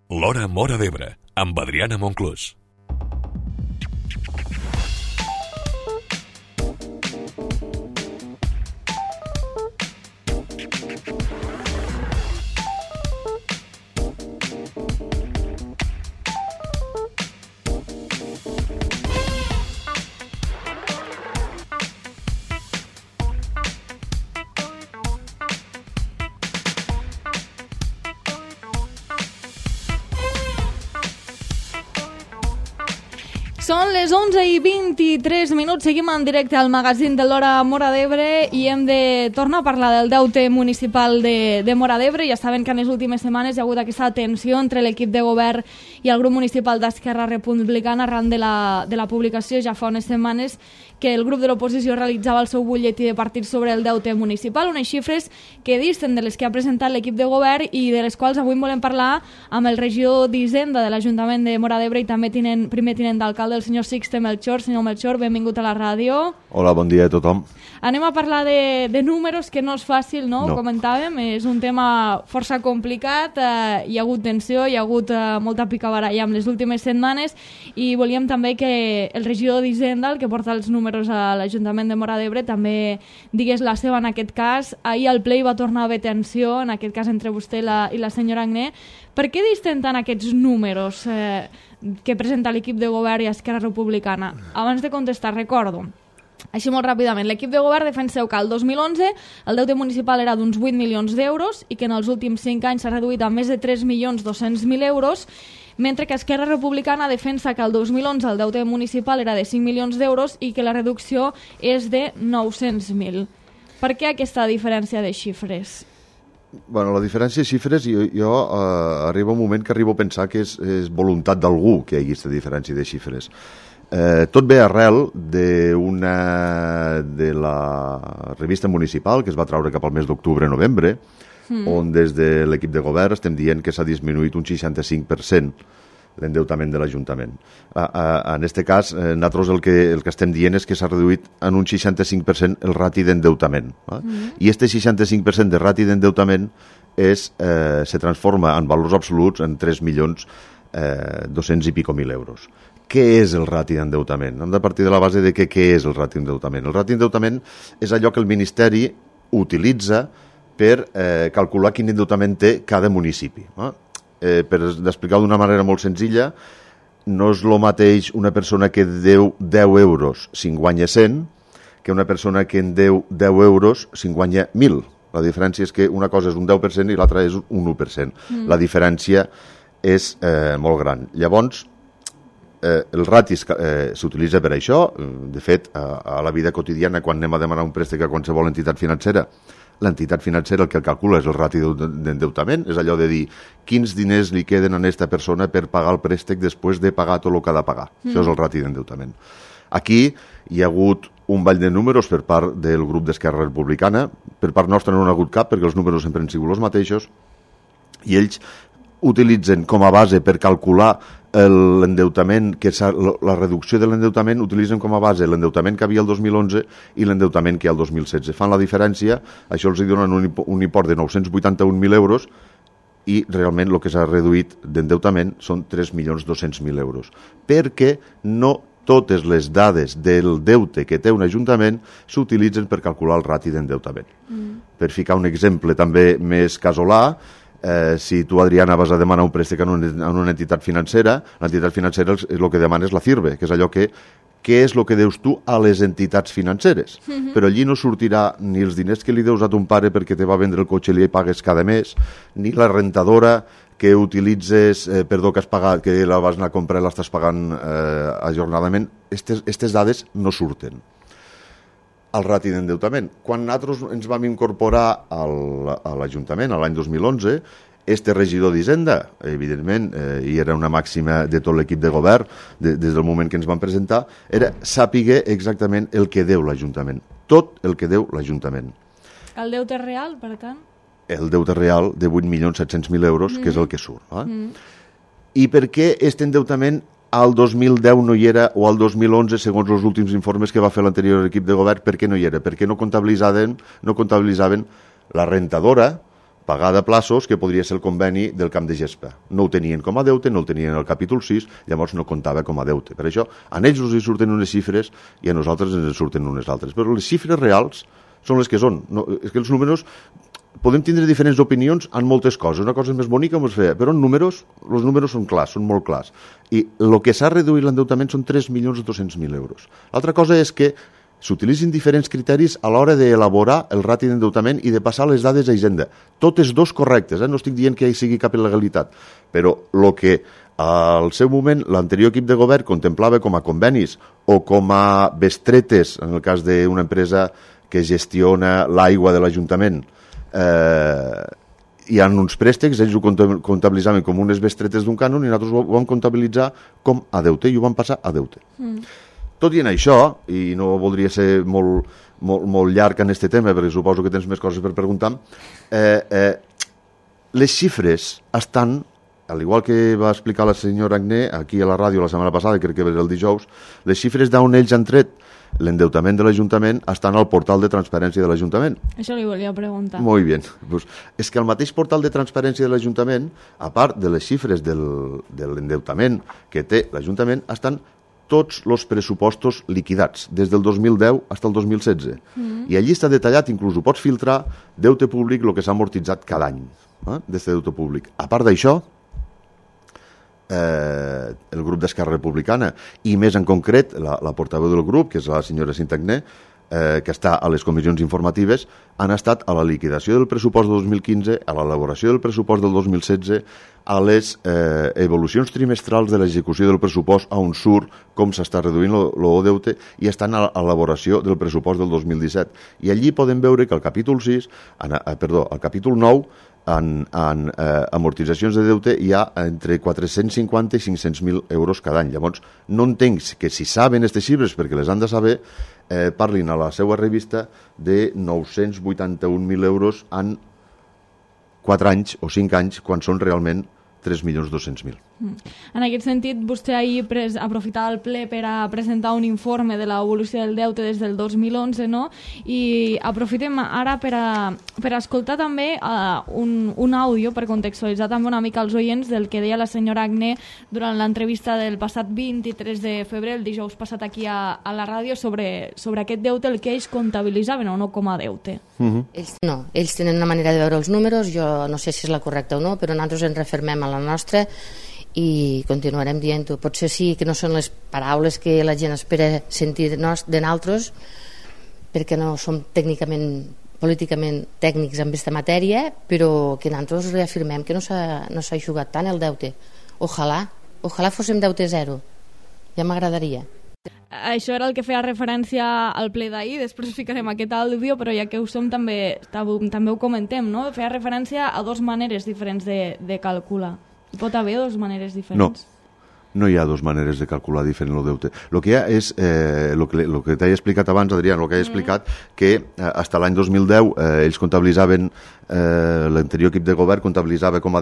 L'Hora Móra d'Ebre, amb Adriana Monclús. Són les 11:23, seguim en directe al magazín de l'Hora Móra d'Ebre i hem de tornar a parlar del deute municipal de Móra d'Ebre. Ja saben que en les últimes setmanes hi ha hagut aquesta tensió entre l'equip de govern i el grup municipal d'Esquerra Republicana arran de la publicació ja fa unes setmanes que el grup de l'oposició realitzava el seu butlletí de partit sobre el deute municipal, unes xifres que disten de les que ha presentat l'equip de govern i de les quals avui volem parlar amb el regidor d'Hisenda de l'Ajuntament de Móra d'Ebre i també primer tinent d'alcalde, el senyor Sixte Melchor. Senyor Melchor, benvingut a la ràdio. Hola, bon dia a tothom. Anem a parlar de números, que no és fàcil, no? No. Comentàvem, és un tema força complicat, hi ha hagut tensió, hi ha hagut molta picabaralla en les últimes setmanes i volíem també que el regidor d'Hisenda, el que porta els números a l'Ajuntament de Móra d'Ebre, també digués la seva en aquest cas. Ahir al ple hi va tornar a haver tensió, en aquest cas entre vostè i la senyora Agné. Per què disten tant aquests números que presenta l'equip de govern i Esquerra Republicana? Abans de contestar, recordo, així molt ràpidament, l'equip de govern defenseu que el 2011 el deute municipal era d'uns 8 milions d'euros i que en els últims 5 anys s'ha reduït a més de 3.200.000 euros, mentre que Esquerra Republicana defensa que el 2011 el deute municipal era de 5 milions d'euros i que la reducció és de 900.000. Per què aquesta diferència de xifres? Bueno, la diferència de xifres, jo arriba un moment que arribo a pensar que és voluntat d'algú que hi hagi aquesta diferència de xifres. Tot ve arrel de la revista municipal que es va treure cap al mes d'octubre-novembre, on des de l'equip de govern estem dient que s'ha disminuït un 65% l'endeutament de l'Ajuntament. En aquest cas, nosaltres el que estem dient és que s'ha reduït en un 65% el rati d'endeutament. I aquest 65% de rati d'endeutament se transforma en valors absoluts en 3.200.000 i pico mil euros. Què és el rati d'endeutament? Hem de partir de la base de què és el rati d'endeutament. El rati d'endeutament és allò que el Ministeri utilitza per calcular quin endeutament té cada municipi. Per explicar d'una manera molt senzilla, no és el mateix una persona que deu 10 euros si en guanya 100 que una persona que en deu 10 euros si en guanya 1.000. La diferència és que una cosa és un 10% i l'altra és un 1%. La diferència és molt gran. Llavors, el rati s'utilitza per això. De fet, a la vida quotidiana, quan anem a demanar un préstec a qualsevol entitat financera, l'entitat financera el que calcula és el rati d'endeutament, és allò de dir quins diners li queden a aquesta persona per pagar el préstec després de pagar tot el que ha de pagar. Això és el rati d'endeutament. Aquí hi ha hagut un ball de números per part del grup d'Esquerra Republicana. Per part nostra no n'ha hagut cap, perquè els números sempre han sigut els mateixos, i ells utilitzen com a base per calcular l'endeutament, la reducció de l'endeutament, utilitzen com a base l'endeutament que havia el 2011 i l'endeutament que hi ha el 2016. Fan la diferència, això els donen un import de 981.000 euros i realment el que s'ha reduït d'endeutament són 3.200.000 euros. Perquè no totes les dades del deute que té un ajuntament s'utilitzen per calcular el rati d'endeutament. Per ficar un exemple també més casolà, si tu, Adriana, vas a demanar un préstec en una entitat financera, l'entitat financera el que demana és la CIRBE, que és allò que què és el que deus tu a les entitats financeres. Però allí no sortirà ni els diners que li deus a ton pare perquè te va vendre el cotxe i li pagues cada mes, ni la rentadora que utilitzes, que has pagat, que la vas anar a comprar i l'estàs pagant ajornadament. Aquestes dades no surten al rati d'endeutament. Quan nosaltres ens vam incorporar a l'Ajuntament l'any 2011, este regidor d'Hisenda, evidentment, i era una màxima de tot l'equip de govern, des del moment que ens van presentar, era sàpiga exactament el que deu l'Ajuntament. Tot el que deu l'Ajuntament. El deute real, per tant? El deute real de 8.700.000 euros, que és el que surt. I per què aquest endeutament al 2010 no hi era, o al 2011, segons els últims informes que va fer l'anterior equip de govern, per què no hi era? Perquè no comptabilitzaven la rentadora, pagada a plaços, que podria ser el conveni del camp de gespa. No ho tenien com a deute, no el tenien en el capítol 6, llavors no comptava com a deute. Per això, a ells els surten unes xifres i a nosaltres ens surten unes altres. Però les xifres reals són les que són. No, és que els números... Podem tindre diferents opinions en moltes coses. Una cosa és més bonica o més fea, però en números, els números són clars, són molt clars. I el que s'ha reduït l'endeutament són 3.200.000 euros. L'altra cosa és que s'utilitzin diferents criteris a l'hora d'elaborar el rati d'endeutament i de passar les dades a Hisenda. Totes dos correctes, no estic dient que hi sigui cap il·legalitat, però el que al seu moment l'anterior equip de govern contemplava com a convenis o com a bestretes, en el cas d'una empresa que gestiona l'aigua de l'Ajuntament, hi ha uns préstecs, ells ho comptabilitzaven com unes bestretes d'un cànon i nosaltres ho vam comptabilitzar com a deute i ho vam passar a deute. Tot i en això, i no voldria ser molt llarg en aquest tema perquè suposo que tens més coses per preguntar, les xifres estan, al igual que va explicar la senyora Agné aquí a la ràdio la setmana passada, crec que era el dijous, les xifres d'on ells han tret l'endeutament de l'Ajuntament estan al portal de transparència de l'Ajuntament. Això li volia preguntar. Molt bé. Pues, és que al mateix portal de transparència de l'Ajuntament, a part de les xifres de l'endeutament que té l'Ajuntament, estan tots els pressupostos liquidats, des del 2010 fins al 2016. I allí està detallat, inclús ho pots filtrar, deute públic, el que s'ha amortitzat cada any, d'aquest deute públic. A part d'això, el grup d'Esquerra Republicana i més en concret la portaveu del grup, que és la senyora Sintagné, que està a les comissions informatives, han estat a la liquidació del pressupost del 2015, a l'elaboració del pressupost del 2016, a les evolucions trimestrals de l'execució del pressupost, on surt com s'està reduint el deute, i estan a l'elaboració del pressupost del 2017. I allí podem veure que al capítol 6, al capítol 9, en amortitzacions de deute hi ha entre 450 i 500.000 euros cada any. Llavors, no entenc que si saben aquestes xifres, perquè les han de saber, parlin a la seva revista de 981.000 euros en 4 anys o 5 anys, quan són realment 3.200.000. En aquest sentit, vostè ahir aprofitava el ple per a presentar un informe de l'evolució del deute des del 2011, no? I aprofitem ara per a escoltar també un àudio per contextualitzar també una mica els oients del que deia la senyora Agné durant l'entrevista del passat 23 de febrer, el dijous passat aquí a la ràdio, sobre aquest deute, el que ells comptabilitzaven o no com a deute. Ells tenen una manera de veure els números, jo no sé si és la correcta o no, però nosaltres ens refermem a la nostra i continuarem dient-ho. Potser sí que no són les paraules que la gent espera sentir de nosaltres, perquè no som políticament tècnics en aquesta matèria, però que nosaltres reafirmem que no s'ha jugat tant el deute. Ojalà fóssim deute zero, ja m'agradaria. Això era el que feia referència al ple d'ahir, després ficarem aquest àudio, però ja que ho som també ho comentem, no? Feia referència a dues maneres diferents de calcular. Hi pot haver dues maneres diferents? No hi ha dues maneres de calcular diferent el deute. El que hi ha és, el que t'he explicat abans, Adrià, el que he explicat, que fins l'any 2010 ells comptabilitzaven, l'anterior equip de govern comptabilitzava com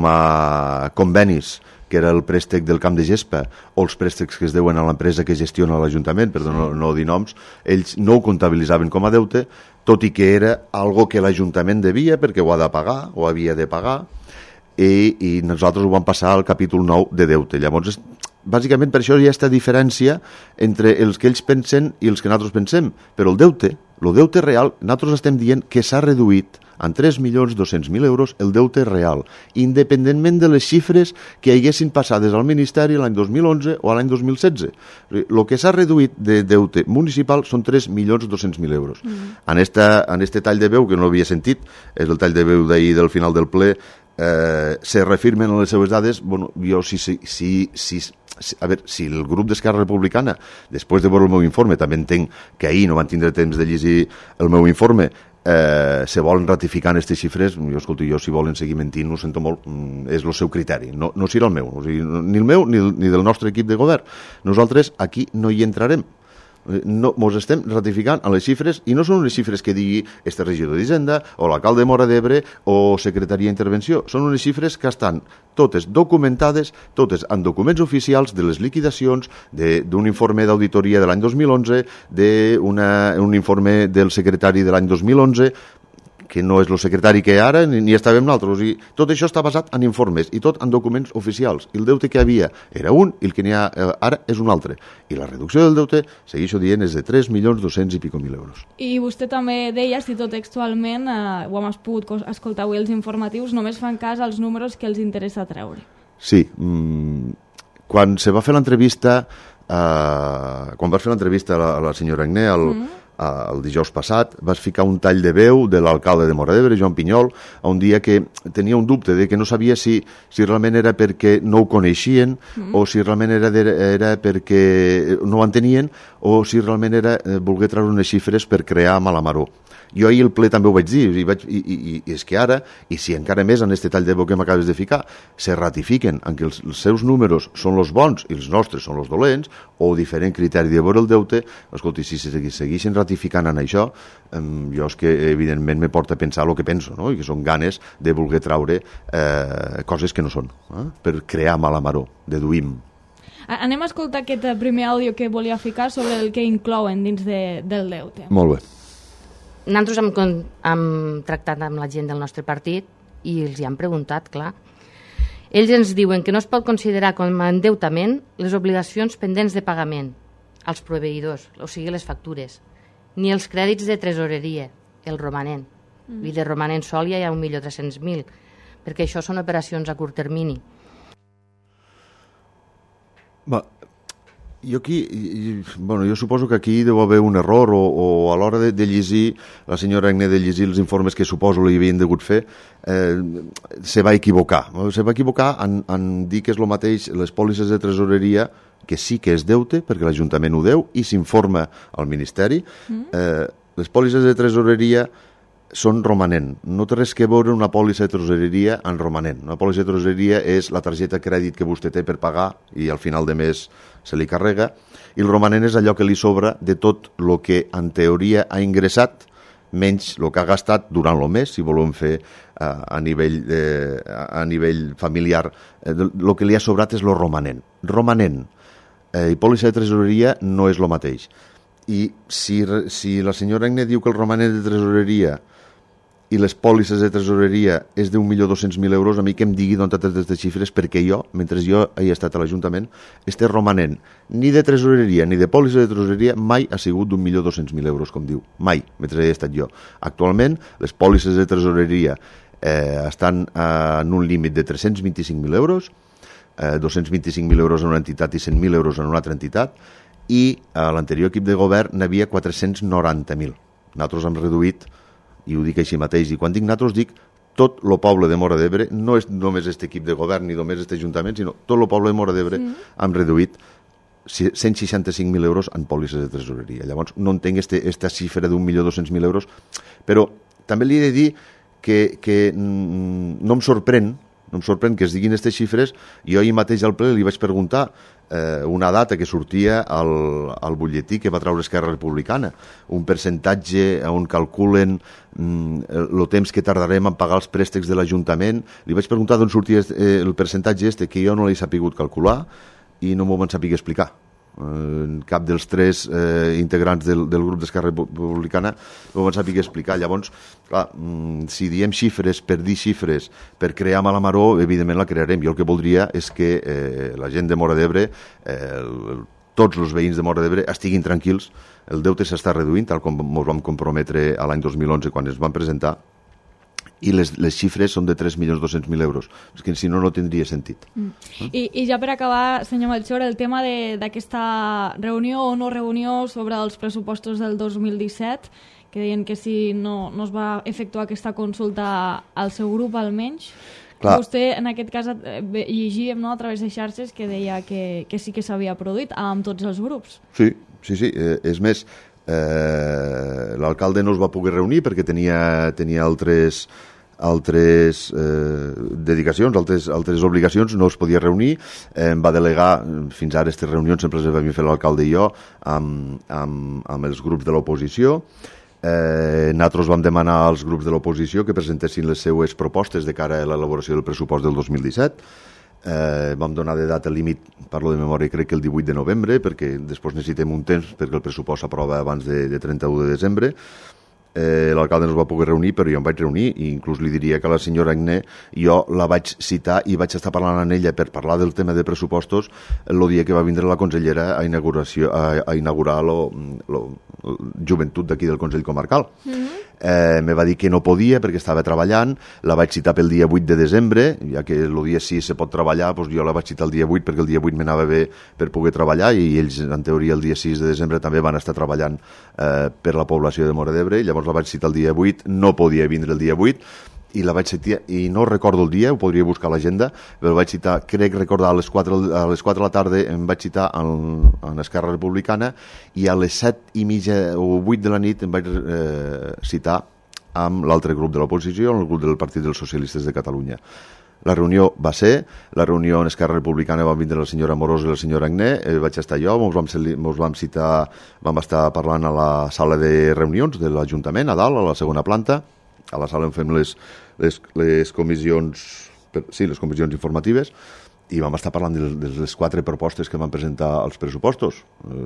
a convenis, que era el préstec del camp de gespa, o els préstecs que es deuen a l'empresa que gestiona l'Ajuntament, per no dir noms, ells no ho comptabilitzaven com a deute, tot i que era algo que l'Ajuntament devia perquè ho ha de pagar, o havia de pagar, i nosaltres ho vam passar al capítol 9 de deute. Llavors, bàsicament per això hi ha aquesta diferència entre els que ells pensen i els que nosaltres pensem, però el deute real, nosaltres estem dient que s'ha reduït en 3.200.000 euros el deute real, independentment de les xifres que haguessin passades al Ministeri l'any 2011 o l'any 2016. El que s'ha reduït de deute municipal són 3.200.000 euros. En este tall de veu, que no l'havia sentit, és el tall de veu d'ahir del final del ple, se reafirmen en les seves dades. Bueno, jo a veure, si el grup d'Esquerra Republicana, després de veure el meu informe, també entenc que ahir no van tindre temps de llegir el meu informe, se volen ratificar aquestes xifres, jo si volen seguir mentint, ho sento molt, és el seu criteri, no serà el meu, o sigui, ni el meu ni del nostre equip de govern. Nosaltres aquí no hi entrarem. Ens estem ratificant a les xifres, i no són unes xifres que digui este regidor d'Hisenda o l'alcalde de Móra d'Ebre o secretaria d'intervenció, són unes xifres que estan totes documentades, totes en documents oficials de les liquidacions, d'un informe d'auditoria de l'any 2011, d'un informe del secretari de l'any 2011, que no és el secretari que ara ni estàvem nosaltres. O sigui, tot això està basat en informes i tot en documents oficials. I el deute que hi havia era un i el que n'hi ha ara és un altre. I la reducció del deute, segueixo dient, és de 3.200.000 i pico mil euros. I vostè també deia, cito textualment, ho hem pogut escoltar avui els informatius, només fan cas als números que els interessa treure. Sí. Quan se va fer l'entrevista, quan vas fer l'entrevista a la senyora Agné, el dijous passat, vas ficar un tall de veu de l'alcalde de Móra d'Ebre, Joan Pinyol, a un dia que tenia un dubte de que no sabia si realment era perquè no ho coneixien o si realment era perquè no ho entenien o si realment era voler treure unes xifres per crear Malamaró. Jo ahir el ple també ho vaig dir, i és que ara, i si encara més en aquest tall de veu que m'acabes de ficar, se ratifiquen en que els seus números són els bons i els nostres són els dolents, o diferent criteri de veure el deute, escolti, si segueixen ratificant en això, jo és que evidentment me porta a pensar el que penso, no? I que són ganes de voler traure coses que no són, per crear Malamaró, deduïm. Anem a escoltar aquest primer àudio que volia ficar sobre el que inclouen dins del deute. Molt bé. Nosaltres hem tractat amb la gent del nostre partit i els hi hem preguntat, clar. Ells ens diuen que no es pot considerar com a endeutament les obligacions pendents de pagament als proveïdors, o sigui, les factures, ni els crèdits de tresoreria, el romanent. I de romanent sol ja hi ha 1.300.000, perquè això són operacions a curt termini. Jo suposo que aquí deu haver un error o a l'hora de llegir, la senyora Agné de llegir els informes que suposo li havien degut fer, se va equivocar. Se va equivocar en dir que és el mateix les pòlisses de tresoreria, que sí que és deute, perquè l'Ajuntament ho deu, i s'informa al Ministeri. Les pòlisses de tresoreria són romanent. No té res que veure una pòlissa de tresoreria en romanent. Una pòlissa de tresoreria és la targeta de crèdit que vostè té per pagar i al final de mes se li carrega, i el romanent és allò que li sobra de tot el que en teoria ha ingressat menys el que ha gastat durant el mes, si volem fer a nivell familiar. El que li ha sobrat és el romanent. Romanent i pòlissa de tresoreria no és el mateix. I si la senyora Agné diu que el romanent de tresoreria i les pòlisses de tresoreria és de 1.200.000 euros, a mi que em digui d'on totes aquestes xifres, perquè jo, mentre jo he estat a l'Ajuntament, este romanent ni de tresoreria ni de pòlissa de tresoreria mai ha sigut d'1.200.000 euros, com diu. Mai, mentre he estat jo. Actualment, les pòlisses de tresoreria estan en un límit de 325.000 euros, 225.000 euros en una entitat i 100.000 euros en una altra entitat, i a l'anterior equip de govern n'havia 490.000. Nosaltres hem reduït, i ho dic així mateix, i quan dic nosaltres dic tot el poble de Móra d'Ebre, no és només aquest equip de govern ni només aquest ajuntament, sinó tot el poble de Móra d'Ebre hem reduït 165.000 euros en pòlisses de tresoreria. Llavors no entenc aquesta xifra d'1.200.000 euros, però també li he de dir que no em sorprèn que es diguin aquestes xifres. Jo ahir mateix al ple li vaig preguntar una data que sortia al butlletí que va treure Esquerra Republicana, un percentatge on calculen el temps que tardarem en pagar els préstecs de l'Ajuntament. Li vaig preguntar d'on sortia el percentatge que jo no l'he sapigut calcular i no m'ho van saber explicar. Cap dels tres integrants del grup d'Esquerra Republicana ho van saber explicar. Llavors, clar, si diem xifres per dir xifres, per crear Malamaró, evidentment la crearem. Jo el que voldria és que la gent de Móra d'Ebre, tots els veïns de Móra d'Ebre estiguin tranquils. El deute s'està reduint, tal com ens vam comprometre a l'any 2011 quan es van presentar, i les xifres són de 3.200.000 euros. És que si no, no tindria sentit. I ja per acabar, senyor Melchor, el tema d'aquesta reunió o no reunió sobre els pressupostos del 2017, que deien que si no es va efectuar aquesta consulta al seu grup, almenys. Clar. Vostè, en aquest cas, llegíem a través de xarxes que deia que sí que s'havia produït amb tots els grups. Sí. És més, l'alcalde no es va poder reunir perquè tenia altres dedicacions, altres obligacions, no es podia reunir. Em va delegar, fins ara aquestes reunions sempre les vam fer l'alcalde i jo amb els grups de l'oposició. Nosaltres vam demanar als grups de l'oposició que presentessin les seues propostes de cara a l'elaboració del pressupost del 2017. Vam donar de data límit, parlo de memòria, crec que el 18 de novembre, perquè després necessitem un temps perquè el pressupost s'aprova abans de 31 de desembre. l'alcalde no es va poder reunir, però jo em vaig reunir i inclús li diria que la senyora Agné jo la vaig citar i vaig estar parlant amb ella per parlar del tema de pressupostos el dia que va vindre la consellera a inaugurar la joventut d'aquí del Consell Comarcal. Me va dir que no podia perquè estava treballant, la vaig citar pel dia 8 de desembre, ja que el dia 6 se pot treballar, doncs jo la vaig citar el dia 8 perquè el dia 8 m'anava bé per poder treballar i ells, en teoria, el dia 6 de desembre també van estar treballant per la població de Móra d'Ebre, llavors la vaig citar el dia 8, no podia vindre el dia 8, i la vaig citar, i no recordo el dia, ho podria buscar a l'agenda, però vaig citar, crec recordar, a les 4 de la tarda em vaig citar en Esquerra Republicana i a les 7:30 o 8 de la nit em vaig citar amb l'altre grup de l'oposició, el grup del Partit dels Socialistes de Catalunya. La reunió va ser, la reunió en Esquerra Republicana van vindre la senyora Amorós i la senyora Agné, vaig estar jo, mos vam citar, vam estar parlant a la sala de reunions de l'Ajuntament, a dalt, a la segona planta, a la sala on fem les comissions, les comissions informatives, i vam estar parlant de les 4 propostes que van presentar als pressupostos.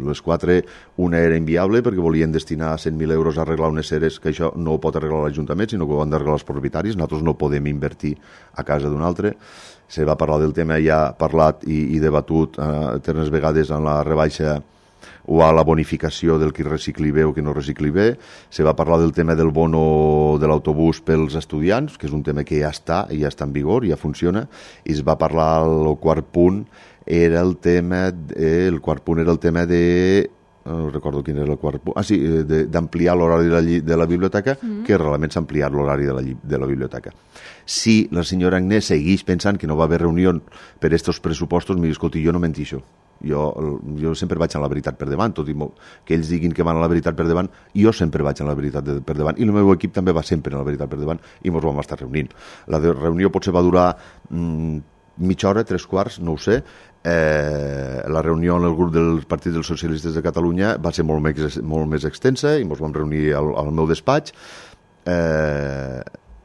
Les 4, una era inviable perquè volien destinar 100.000 euros a arreglar unes seres, que això no ho pot arreglar l'Ajuntament, sinó que ho han d'arreglar els propietaris. Nosaltres no podem invertir a casa d'un altre. Se va parlar del tema, ja parlat i debatut eternes vegades en la rebaixa o a la bonificació del qui recicli bé o qui no recicli bé. Se va parlar del tema del bono de l'autobús pels estudiants, que és un tema que ja està en vigor, ja funciona, i es va parlar, el quart punt era el tema de no recordo quin era el quart punt, d'ampliar l'horari de la biblioteca, que realment s'ha ampliat l'horari de la biblioteca. Si la senyora Agnès segueix pensant que no va haver reunió per aquests pressupostos, mira, escolti, jo no mentixo. Jo sempre vaig a la veritat per davant, tot i que ells diguin que van a la veritat per davant, jo sempre vaig a la veritat per davant, i el meu equip també va sempre a la veritat per davant, i ens vam estar reunint. La reunió potser va durar mitja hora, 3/4, no ho sé. La reunió en el grup del Partit dels Socialistes de Catalunya va ser molt més extensa, i ens vam reunir al meu despatx,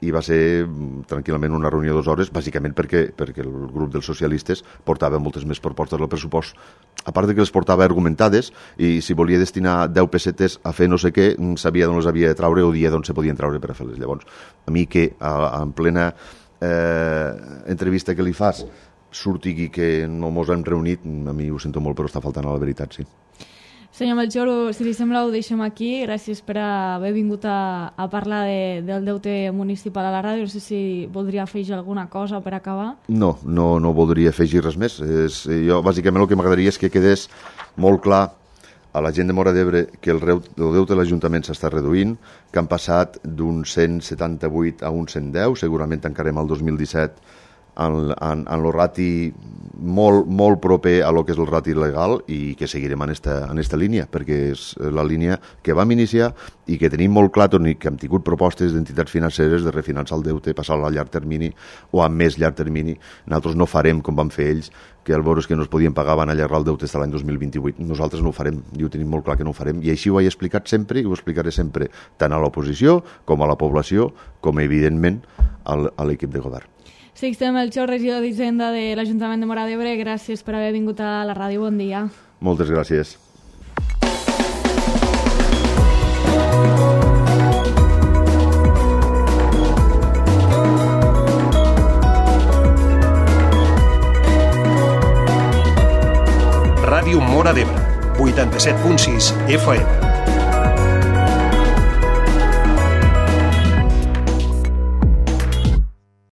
i va ser tranquil·lament una reunió de 2 hores, bàsicament perquè el grup dels socialistes portava moltes més propostes al pressupost, a part de que les portava argumentades, i si volia destinar 10 pessetes a fer no sé què, sabia d'on les havia de traure o dia d'on se podien traure per a fer-les. Llavors, a mi que en plena entrevista que li fas surti que no mos hem reunit, a mi ho sento molt, però està faltant a la veritat, sí. Senyor Melchor, si li sembla ho deixem aquí. Gràcies per haver vingut a parlar del deute municipal a la ràdio. No sé si voldria afegir alguna cosa per acabar. No voldria afegir res més. Jo, bàsicament, el que m'agradaria és que quedés molt clar a la gent de Móra d'Ebre que el deute de l'Ajuntament s'està reduint, que han passat d'un 178 a un 110, segurament tancarem el 2017 en el rati molt proper a lo que és el rati legal, i que seguirem en esta línia, perquè és la línia que vam iniciar i que tenim molt clar, que hem tingut propostes d'entitats financeres de refinançar el deute, passar-lo a llarg termini o a més llarg termini. Nosaltres no farem com van fer ells, que al veure que no es podien pagar van allargar el deute fins a l'any 2028. Nosaltres no ho farem, i ho tenim molt clar que no ho farem, i així ho he explicat sempre i ho explicaré sempre, tant a l'oposició com a la població, com evidentment a l'equip de govern. Sixte Melchor, regidor d'Hisenda de l'Ajuntament de Móra d'Ebre, gràcies per haver vingut a la ràdio. Bon dia. Moltes gràcies. Ràdio Móra d'Ebre, 87.6 FM.